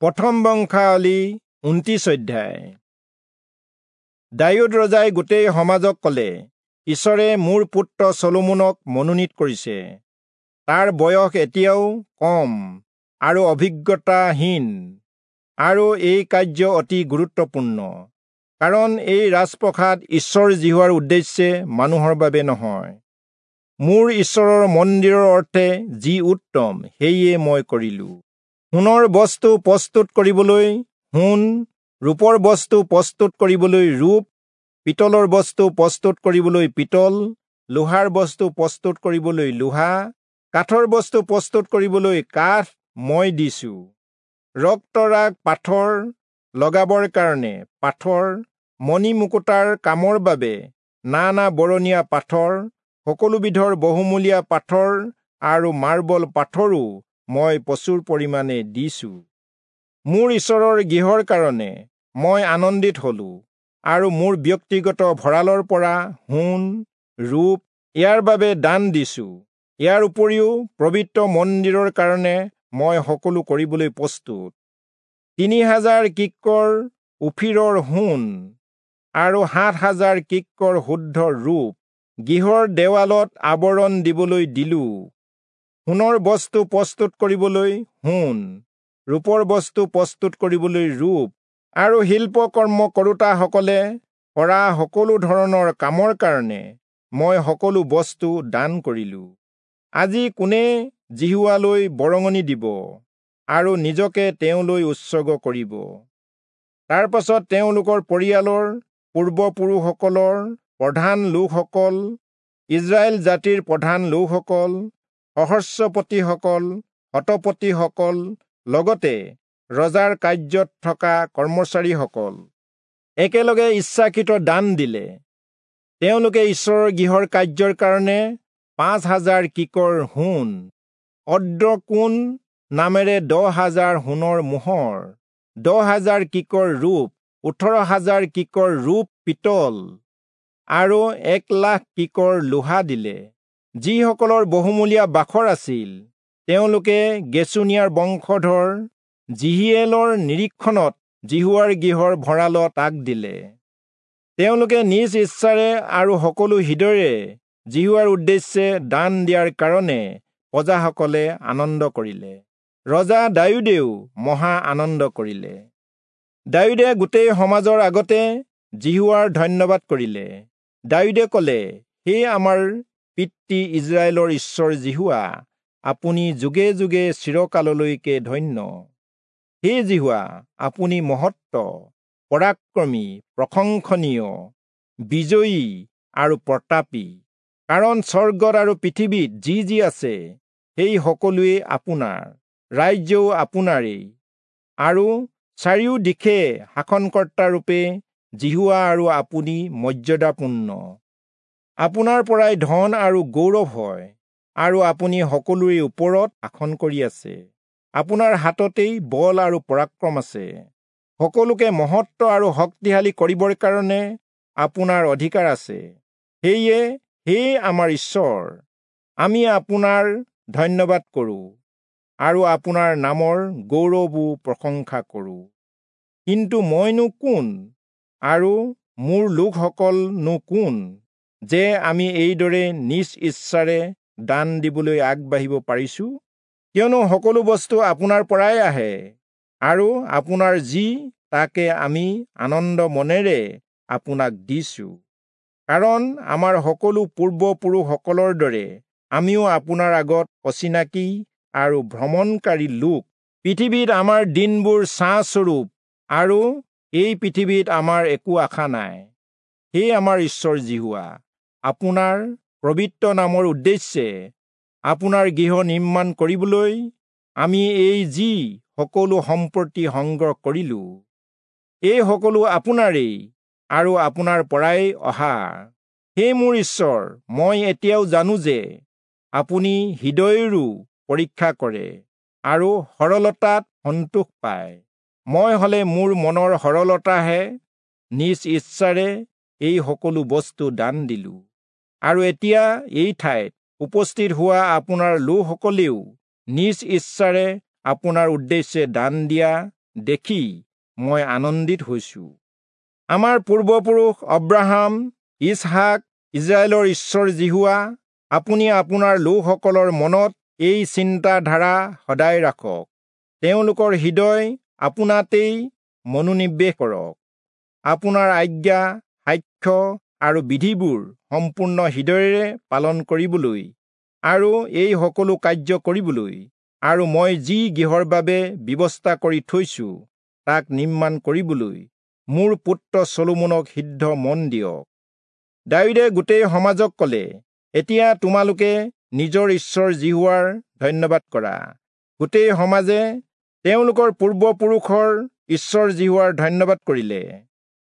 প্ৰথম বংশাৱলী 29 অধ্যায়। দায়ূদ ৰজাই গোটেই সমাজক ক'লে, ঈশ্বৰে মোৰ পুত্ৰ চলোমনক মনোনীত কৰিছে। তাৰ বয়স এতিয়াও কম আৰু অভিজ্ঞতাহীন, আৰু এই কাৰ্য অতি গুৰুত্বপূৰ্ণ, কাৰণ এই ৰাজপ্ৰসাদ ঈশ্বৰ যিহোৱাৰ উদ্দেশ্যে, মানুহৰ বাবে নহয়। মোৰ ঈশ্বৰৰ মন্দিৰৰ অৰ্থে যি উত্তম, সেয়ে মই কৰিলো। সোণৰ বস্তু প্ৰস্তুত কৰিবলৈ সোণ, ৰূপৰ বস্তু প্ৰস্তুত কৰিবলৈ ৰূপ, পিতলৰ বস্তু প্ৰস্তুত কৰিবলৈ পিতল, লোহাৰ বস্তু প্ৰস্তুত কৰিবলৈ লোহা, কাঠৰ বস্তু প্ৰস্তুত কৰিবলৈ কাঠ মই দিছো। ৰক্তৰাগ পাথৰ লগাবৰ কাৰণে পাথৰ, মণিমুকুতাৰ কামৰ বাবে নানা বৰণীয়া পাথৰ, সকলোবিধৰ বহুমূলীয়া পাথৰ আৰু মাৰ্বল পাথৰো মই প্ৰচুৰ পৰিমাণে দিছো। মোৰ ঈশ্বৰৰ গৃহৰ কাৰণে মই আনন্দিত হলো, আৰু মোৰ ব্যক্তিগত ভঁৰালৰ পৰা সোণ, ৰূপ ইয়াৰ বাবে দান দিছো। ইয়াৰ উপৰিও পবিত্ৰ মন্দিৰৰ কাৰণে মই সকলো কৰিবলৈ প্ৰস্তুত। 3000 কিক্কৰ ওফিৰৰ সোণ আৰু 7000 কিক্কৰ শুদ্ধ ৰূপ গৃহৰ দেৱালত আৱৰণ দিবলৈ দিলো। সোণৰ বস্তু প্ৰস্তুত কৰিবলৈ সোণ, ৰূপৰ বস্তু প্ৰস্তুত কৰিবলৈ ৰূপ, আৰু শিল্পকৰ্ম কৰোতাসকলে কৰা সকলো ধৰণৰ কামৰ কাৰণে মই সকলো বস্তু দান কৰিলো। আজি কোনে যিহোৱালৈ বৰঙণি দিব আৰু নিজকে তেওঁলৈ উৎসৰ্গ কৰিব? তাৰ পাছত তেওঁলোকৰ পৰিয়ালৰ পূৰ্বপুৰুষসকলৰ প্ৰধান লোকসকল, ইজৰাইল জাতিৰ প্ৰধান লোকসকল, সহস্ৰপতিসকল, শতপতিসকল, লগতে ৰজাৰ কাৰ্যত থকা কৰ্মচাৰীসকল একেলগে ইচ্ছাকৃত দান দিলে। তেওঁলোকে ঈশ্বৰৰ গৃহৰ কাৰ্যৰ কাৰণে 5000 কিকৰ সোণ, অদ্ৰকোণ নামেৰে 10000 সোণৰ মোহৰ, 10000 কিকৰ ৰূপ, 18000 কিকৰ ৰূপ পিতল আৰু 1,00,000 কিকৰ লোহা দিলে। যিসকলৰ বহুমূলীয়া বাখৰ আছিল, তেওঁলোকে গেচুনীয়াৰ বংশধৰ জিহিয়েলৰ নিৰীক্ষণত যিহোৱাৰ গৃহৰ ভঁৰালত তাক দিলে। তেওঁলোকে নিজ ইচ্ছাৰে আৰু সকলো হৃদয়েৰে যিহোৱাৰ উদ্দেশ্যে দান দিয়াৰ কাৰণে প্ৰজাসকলে আনন্দ কৰিলে। ৰজা দায়ূদেও মহা আনন্দ কৰিলে। দায়ূদে গোটেই সমাজৰ আগতে যিহোৱাৰ ধন্যবাদ কৰিলে। দায়ূদে ক'লে, হে আমাৰ পিতৃ ইজৰাইলৰ ঈশ্বৰ যিহোৱা, আপুনি যুগে যুগে চিৰকাললৈকে ধন্য। হে যিহোৱা, আপুনি মহত্ব, পৰাক্ৰমী, প্ৰশংসনীয়, বিজয়ী আৰু প্ৰতাপী, কাৰণ স্বৰ্গত আৰু পৃথিৱীত যি যি আছে সেই সকলোৱে আপোনাৰ, ৰাজ্যও আপোনাৰেই, আৰু চাৰিও দিশে শাসনকৰ্তাৰূপে যিহোৱা আৰু আপুনি মৰ্যাদাপূৰ্ণ। আপোনাৰ পৰাই ধন আৰু গৌৰৱ হয়, আৰু আপুনি সকলোৰে ওপৰত শাসন কৰি আছে। আপোনাৰ হাততেই বল আৰু পৰাক্ৰম আছে। সকলোকে মহত্ব আৰু শক্তিশালী কৰিবৰ কাৰণে আপোনাৰ অধিকাৰ আছে। সেয়ে হে আমাৰ ঈশ্বৰ, আমি আপোনাৰ ধন্যবাদ কৰোঁ আৰু আপোনাৰ নামৰ গৌৰৱো প্ৰশংসা কৰোঁ। কিন্তু মইনো কোন আৰু মোৰ লোকসকলনো কোন, যে আমি এইদৰে নিজ ইচ্ছাৰে দান দিবলৈ আগবাঢ়িব পাৰিছো? কিয়নো সকলো বস্তু আপোনাৰ পৰাই আহে, আৰু আপোনাৰ যি, তাকে আমি আনন্দ মনেৰে আপোনাক দিছো। কাৰণ আমাৰ সকলো পূৰ্বপুৰুষসকলৰ দৰে আমিও আপোনাৰ আগত অচিনাকি আৰু ভ্ৰমণকাৰী লোক। পৃথিৱীত আমাৰ দিনবোৰ ছাঁস্বৰূপ, আৰু এই পৃথিৱীত আমাৰ একো আশা নাই। হে আমাৰ ঈশ্বৰ যিহোৱা, আপোনাৰ পবিত্ৰ নামৰ উদ্দেশ্যে আপোনাৰ গৃহ নিৰ্মাণ কৰিবলৈ আমি এই যি সকলো সম্পত্তি সংগ্ৰহ কৰিলো, এই সকলো আপোনাৰেই আৰু আপোনাৰ পৰাই অহা। হে মোৰ ঈশ্বৰ, মই এতিয়াও জানো যে আপুনি হৃদয়ৰো পৰীক্ষা কৰে আৰু সৰলতাত সন্তোষ পায়। মই হলে মোৰ মনৰ সৰলতাহে নিজ ইচ্ছাৰে এই সকলো বস্তু দান দিলো। আৰু এতিয়া এই ঠাইত উপস্থিত হোৱা আপোনাৰ লোকসকলেও নিজ ইচ্ছাৰে আপোনাৰ উদ্দেশ্যে দান দিয়া দেখি মই আনন্দিত হৈছো। আমাৰ পূৰ্বপুৰুষ অব্ৰাহাম, ইচহাক, ইজৰাইলৰ ঈশ্বৰ যিহোৱা, আপুনি আপোনাৰ লোকসকলৰ মনত এই চিন্তাধাৰা সদায় ৰাখক। তেওঁলোকৰ হৃদয় আপোনাতেই মনোনিৱেশ কৰক। আপোনাৰ আজ্ঞা, সাক্ষ্য আৰু বিধিবোৰ সম্পূৰ্ণ হৃদয়েৰে পালন কৰিবলৈ আৰু এই সকলো কাৰ্য কৰিবলৈ আৰু মই যি গৃহৰ বাবে ব্যৱস্থা কৰি থৈছো তাক নিৰ্মাণ কৰিবলৈ মোৰ পুত্ৰ চলোমনক সিদ্ধ মন দিয়ক। দায়ূদে গোটেই সমাজক ক'লে, এতিয়া তোমালোকে নিজৰ ঈশ্বৰ যিহোৱাৰ ধন্যবাদ কৰা। গোটেই সমাজে তেওঁলোকৰ পূৰ্বপুৰুষৰ ঈশ্বৰ যিহোৱাৰ ধন্যবাদ কৰিলে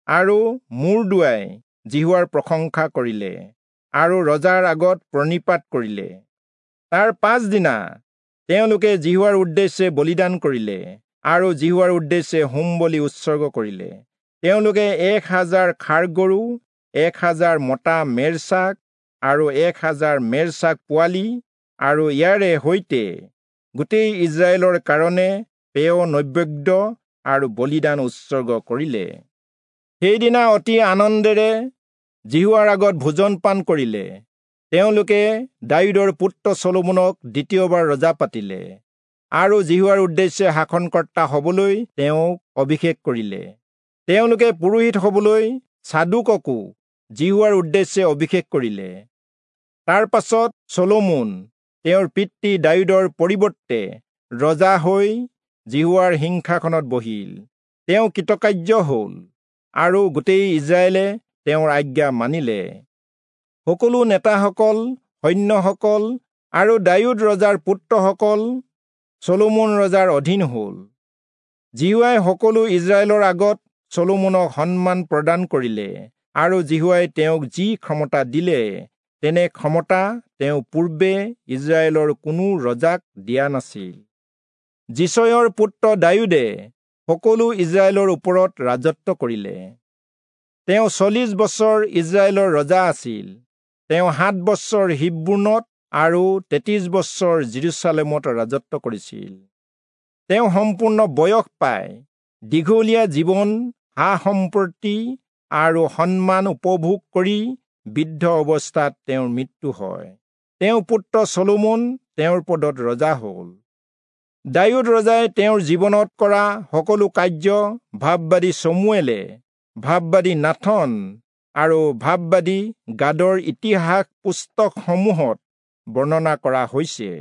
আৰু মূৰ দুৱাই যিহোৱাৰ প্ৰশংসা কৰিলে আৰু ৰজাৰ আগত প্ৰণিপাত কৰিলে। তাৰ পাছদিনা তেওঁলোকে যিহোৱাৰ উদ্দেশ্যে বলিদান কৰিলে আৰু যিহোৱাৰ উদ্দেশ্যে হোম বলি উৎসৰ্গ কৰিলে। তেওঁলোকে 1000 ষাঁড় গৰু, 1000 মতা মেৰছাক আৰু 1000 মেৰছাক পোৱালি আৰু ইয়াৰে সৈতে গোটেই ইজৰাইলৰ কাৰণে পেয় নৈবেদ্য আৰু বলিদান উৎসৰ্গ কৰিলে। সেইদিনা অতি আনন্দেৰে যিহোৱাৰ আগত ভোজন পান কৰিলে। তেওঁলোকে দায়ূদৰ পুত্ৰ চলোমনক দ্বিতীয়বাৰ ৰজা পাতিলে আৰু যিহোৱাৰ উদ্দেশ্যে শাসনকৰ্তা হ'বলৈ তেওঁক অভিষেক কৰিলে। তেওঁলোকে পুৰোহিত হ'বলৈ চাদোককো যিহোৱাৰ উদ্দেশ্যে অভিষেক কৰিলে। তাৰ পাছত চলোমন তেওঁৰ পিতৃ দায়ূদৰ পৰিৱৰ্তে ৰজা হৈ যিহোৱাৰ সিংহাসনত বহিল। তেওঁ কৃতকাৰ্য হ'ল আৰু গোটেই ইজৰাইলে তেওঁৰ আজ্ঞা মানিলে। সকলো নেতাসকল, সৈন্যসকল আৰু দায়ূদ ৰজাৰ পুত্ৰসকল চলোমন ৰজাৰ অধীন হ'ল। যিহোৱাই সকলো ইজৰাইলৰ আগত চলোমনক সন্মান প্ৰদান কৰিলে আৰু যিহোৱাই তেওঁক যি ক্ষমতা দিলে তেনে ক্ষমতা তেওঁ পূৰ্বে ইজৰাইলৰ কোনো ৰজাক দিয়া নাছিল। যিচয়ৰ পুত্ৰ দায়ূদে সকলো ইজৰাইলৰ ওপৰত ৰাজত্ব কৰিলে। তেওঁ 40 বছৰ ইজৰাইলৰ ৰজা আছিল। তেওঁ 7 বছৰ হিব্ৰোনত আৰু 33 বছৰ জেৰুচালেমত ৰাজত্ব কৰিছিল। তেওঁ সম্পূৰ্ণ বয়স পাই দীঘলীয়া জীৱন, সা-সম্পত্তি আৰু সন্মান উপভোগ কৰি বৃদ্ধ অৱস্থাত তেওঁৰ মৃত্যু হয়। তেওঁৰ পুত্ৰ চলোমন তেওঁৰ পদত ৰজা হ'ল। দায়ূদ ৰজাই তেওঁৰ জীৱনত কৰা সকলো কাৰ্য ভাববাদী চমুৱেলে, ভাববাদী নাথন আৰু ভাববাদী গাদৰ ইতিহাস পুস্তকসমূহত বৰ্ণনা কৰা হৈছে।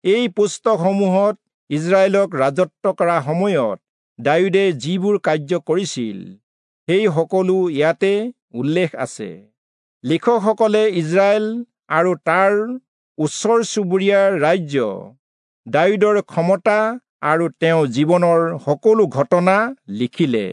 এই পুস্তকসমূহত ইজৰাইলক ৰাজত্ব কৰা সময়ত দায়ূদে যিবোৰ কাৰ্য কৰিছিল সেই সকলো ইয়াতে উল্লেখ আছে। লিখকসকলে ইজৰাইল আৰু তাৰ ওচৰ চুবুৰীয়া ৰাজ্য, দায়ূদৰ ক্ষমতা আৰু তেওঁৰ জীৱনৰ সকলো ঘটনা লিখিলে।